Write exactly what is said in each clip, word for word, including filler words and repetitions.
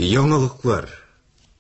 Яңалыклар.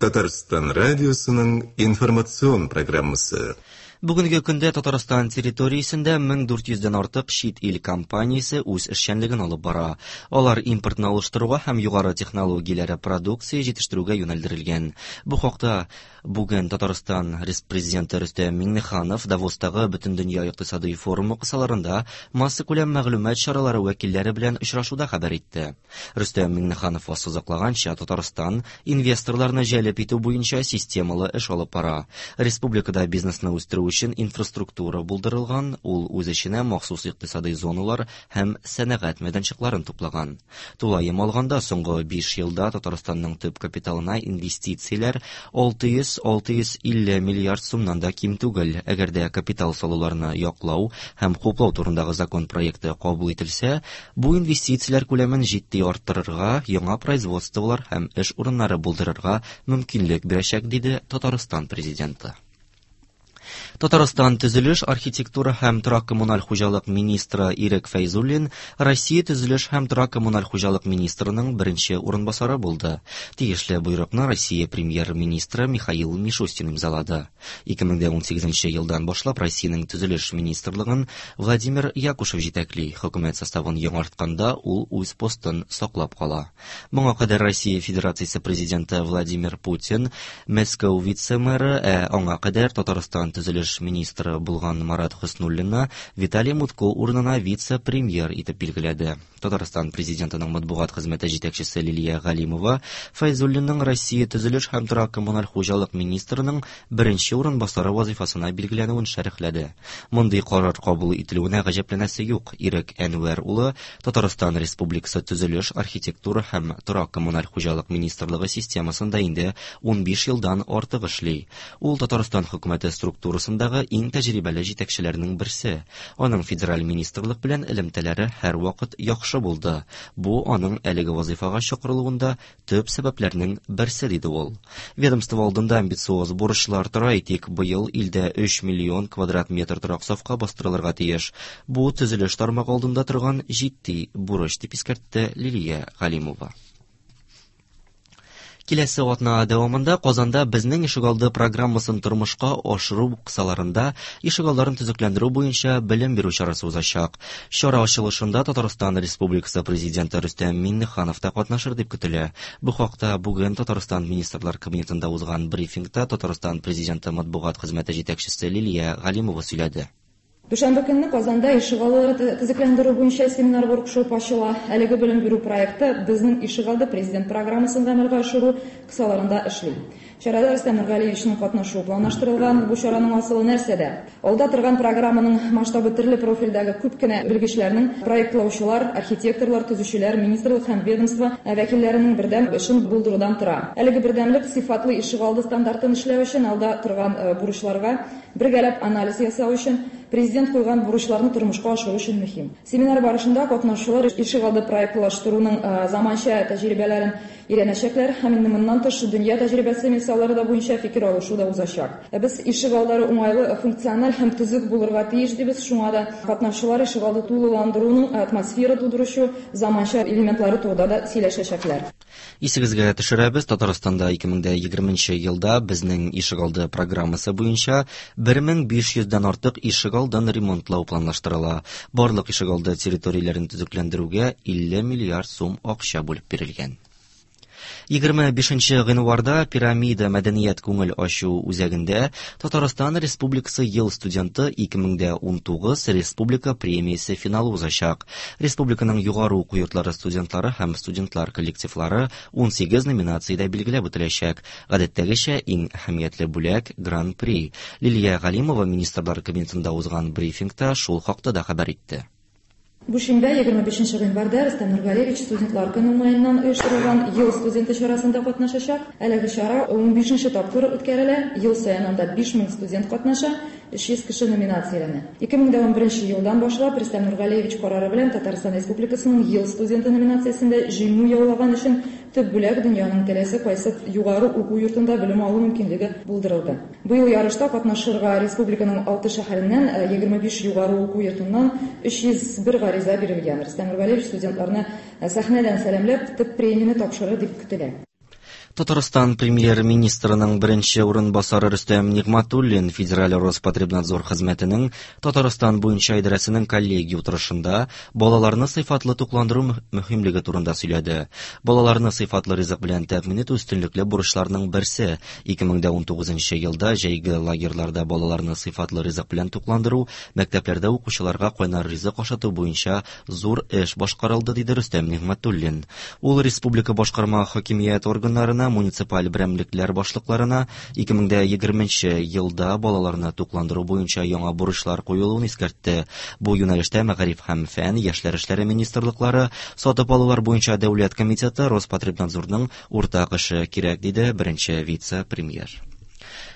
Татарстан радиосының информацион программасы. Бүгенге көндә Татарстан территориясендә мең дүрт йөздән артык чит ил компаниясе үз эшчәнлеген алып бара. Алар импортны алыштыруга һәм югары технологияләре продукция җитештерүгә юнәлдерелгән. Бу хакта бүген Татарстан Президенты Рөстәм Миңнеханов Давостагы Бөтендөнья икътисадый форумы кысаларында массакүләм мәгълүмат чаралары вәкилләре белән очрашуда хәбәр итте. Рөстәм Миңнеханов ассызыклаганча, Татарстан инвесторларны җәлеп итү буенча системалы эш алып бара. Республикада бизнесны үстерү өчен инфраструктура булдырылган, ул үз эченә махсус икътисадый зоналар һәм сәнәгать мәйданчыкларын туплаган. Тулаем алганда, соңгы биш елда Татарстанның төп капиталына инвестицияләр алты йөз алты йөз илле миллиард сумнан да ким түгел. Әгәр дә капитал салуларны яклау һәм хуплау турындагы закон проекты кабул ителсә, бу инвестицияләр күләмен җитди арттырырга, яңа производстволар һәм эш урыннары булдырырга мөмкинлек бирәчәк, диде Татарстан президенты. Татарстан төзелеш, архитектура һәм торак-коммуналь хуҗалык министры Ирек Фәйзуллин Россия төзелеш һәм торак-коммуналь хуҗалык министрының беренче урынбасары булды. Тиешле бойрыкны Россия премьер-министры Михаил Мишустин имзалады. ике мең ун сигезенче елдан башлап Россиянең төзелеш министрлыгын Владимир Якушев җитәкли. Хөкүмәт составын яңартканда ул үз постын саклап кала. Моңа кадәр Россия Федерациясе президенты Владимир Путин Мәскәү вице-мэры, ә аңа кадәр Татарстан төзелеш министры булган Марат Хөснуллинны Виталий Мутко урынына вице-премьер итеп билгеләде. Татарстан президентының матбугат хезмәте җитәкчесе Лилия Галимова Фәйзуллинның Россия төзелеш һәм торак-коммуналь хуҗалык министрының беренче урынбасары вазифасына билгеләнүен шәрехләде. Мондый карар кабул ителүенә гаҗәпләнәсе юк. Ирек Әнвәр улы Татарстан Республикасы төзелеш, архитектура һәм торак-коммуналь хуҗалык министрлыгы системасында инде ун биш елдан артык эшли. Ул Татарстан хөкүмәте структурасындагы иң тәҗрибәле җитәкчеләрнең берсе. Аның федераль министрлык белән элемтәләре һәрвакыт яхшы булды. Бу аның әлеге вазифага чакырылуында төп сәбәпләрнең берсе, диде ул. Ведомство алдында амбициоз бурычлар тора. Әйтик, быел илдә өч миллион квадрат метр торак сафка бастырылырга тиеш. Бу төзелеш тармагы алдында торган җитди бурыч, дип искәртте Лилия Галимова. Киләсе атна дәвамында Казанда Безнең ишегалды программасын тормышка ашыру кысаларында ишегалларын төзекләндерү буенча белем бирү чарасы узачак. Чара ачылышында Татарстан Республикасы президенты Рөстәм Миңнеханов та катнашыр дип көтелә. Бу хакта бүген Татарстан Министрлар Кабинетында узган брифингта Татарстан президенты матбугат хезмәте җитәкчесе Лилия Галимова сөйләде. Дүшәмбе көнне Казанда ишегаллары төзекләндерү буенча семинар-воркшоп ачыла. Әлеге белем бирү проекты Безнең ишегалды президент программасын гамәлгә ашыру кысаларында эшли. Чарада Рөстәм Нургалиевичның катнашуы планлаштырылган. Бу чараның асылы нәрсәдә? Алда торган программаның масштабы төрле профильдәге күп кенә белгечләрнең, проектлаучылар, архитекторлар, төзүчеләр, министрлык һәм ведомство вәкилләренең бердәм эшен булдырудан тора. Әлеге бердәмлек сыйфатлы ишегалды стандартын эшләү өчен алда торган бурычларга бергәләп анализ ясау өчен президент куйган бурычларны тормышка ашыру өчен мөһим. Семинар барышында катнашучылар ишегалды проектлаштыруның заманча тәҗрибәләрен өйрәнәчәкләр һәм инде моннан тыш дөнья тәҗрибәсе мисаллары да буенча фикер алышу да узачак. Без ишегаллары уңайлы, функциональ һәм төзек булырга тиеш дибез. Шуңа да катнашучылар ишегалды тулыландыруның атмосфера тудыручы заманча элементлары турында да сөйләшәчәкләр. Исегезгә төшерәбез, Татарстанда ике мең егерменче елда Безнең ишегалды программасы буенча бер мең биш йөздән артык ишегалдын ремонтлау планлаштырыла. Барлык ишегалды территорияләрен төзекләндерүгә илле миллиард сум акча бүлеп бирелгән. Егерме бишенче гыйнварда Пирамида мәдәният күңел ачу үзәгендә Татарстан Республикасы ел студенты ике мең ун тугыз республика премиясе финалы узачак. Республиканың югары уку йортлары студентлары һәм студентлар коллективлары ун сигез номинациядә билгеләп үтеләчәк. Гадәттәгечә иң әһәмиятле бүләк Гран-при. Лилия Галимова Министрлар Кабинетында узган брифингта шул хакта да хәбәр итте. Бу шимбә егерме бишенче гыйнварда Рөстәм Нургалиевич студентлар көне уңаеннан оештырылган ел студенты чарасында катнашачак. Әлеге чара ун бишенче тапкыр үткәрелә. Ел саен анда биш мең студент катнаша, өч йөз кеше номинацияләнә. Ике мең ун беренче елдан башлап Рөстәм Нургалиевич карары белән Татарстан Республикасының ел студенты номинациясендә җиңү яулаган өчен төп бүләк дөньяның теләсә кайсы югары уку йортында белем алу мөмкинлеге булдырылды. Быел ярышта катнашырга республиканың алты шәһәреннән егерме биш югары уку йортыннан өч йөз бер гариза бирелгән. Рөстәм Нургалиевич студентларны сәхнәдән сәламләп, төп премияне тапшырыр дип көтелә. Татарстан премьер-министрының беренче урынбасары Рөстәм Нигъмәтуллин Федераль Роспотребнадзор хезмәтенең Татарстан буенча идарәсенең коллегия утырышында балаларны сыйфатлы тукландыру мөһимлеге турында сөйләде. Балаларны сыйфатлы ризык белән тәэмин итү өстенлекле бурычларның берсе. ике мең дә унтугызынчы елда җәйге лагерьларда балаларны сыйфатлы ризык белән тукландыру, мәктәпләрдә укучыларга кайнар ризык ашату буенча зур эш башкарылды, диде Рөстәм Нигъмәтуллин. Ул республика башкарма хакимият органнарына, муниципаль берәмлекләр башлыкларына ике мең дә егерменче елда балаларны тукландыру буенча яңа бурычлар куелуын искәртте. Бу юнәлештә Мәгариф һәм фән, яшьләр эшләре министрлыклары, сатып алулар буенча дәүләт комитеты, Роспотребнадзорның уртак эше кирәк, диде беренче вице-премьер.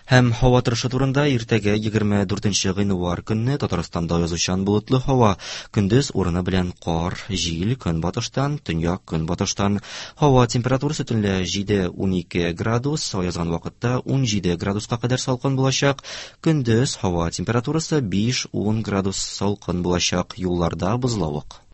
Һәм һава торышы турында иртәгә егерме дүртенче гыйнвар көнне Татарстанда язучан болытлы һава. Көндез урыны белән кар, җил, көнбатыштан, төньяк көнбатыштан. Һава температурасы төнлә җиде унике градус, аязган вакытта ун җиде градуска кадәр салкын булачак. Көндез һава температурасы биш ун градус салкын булачак. Юлларда бозлавык.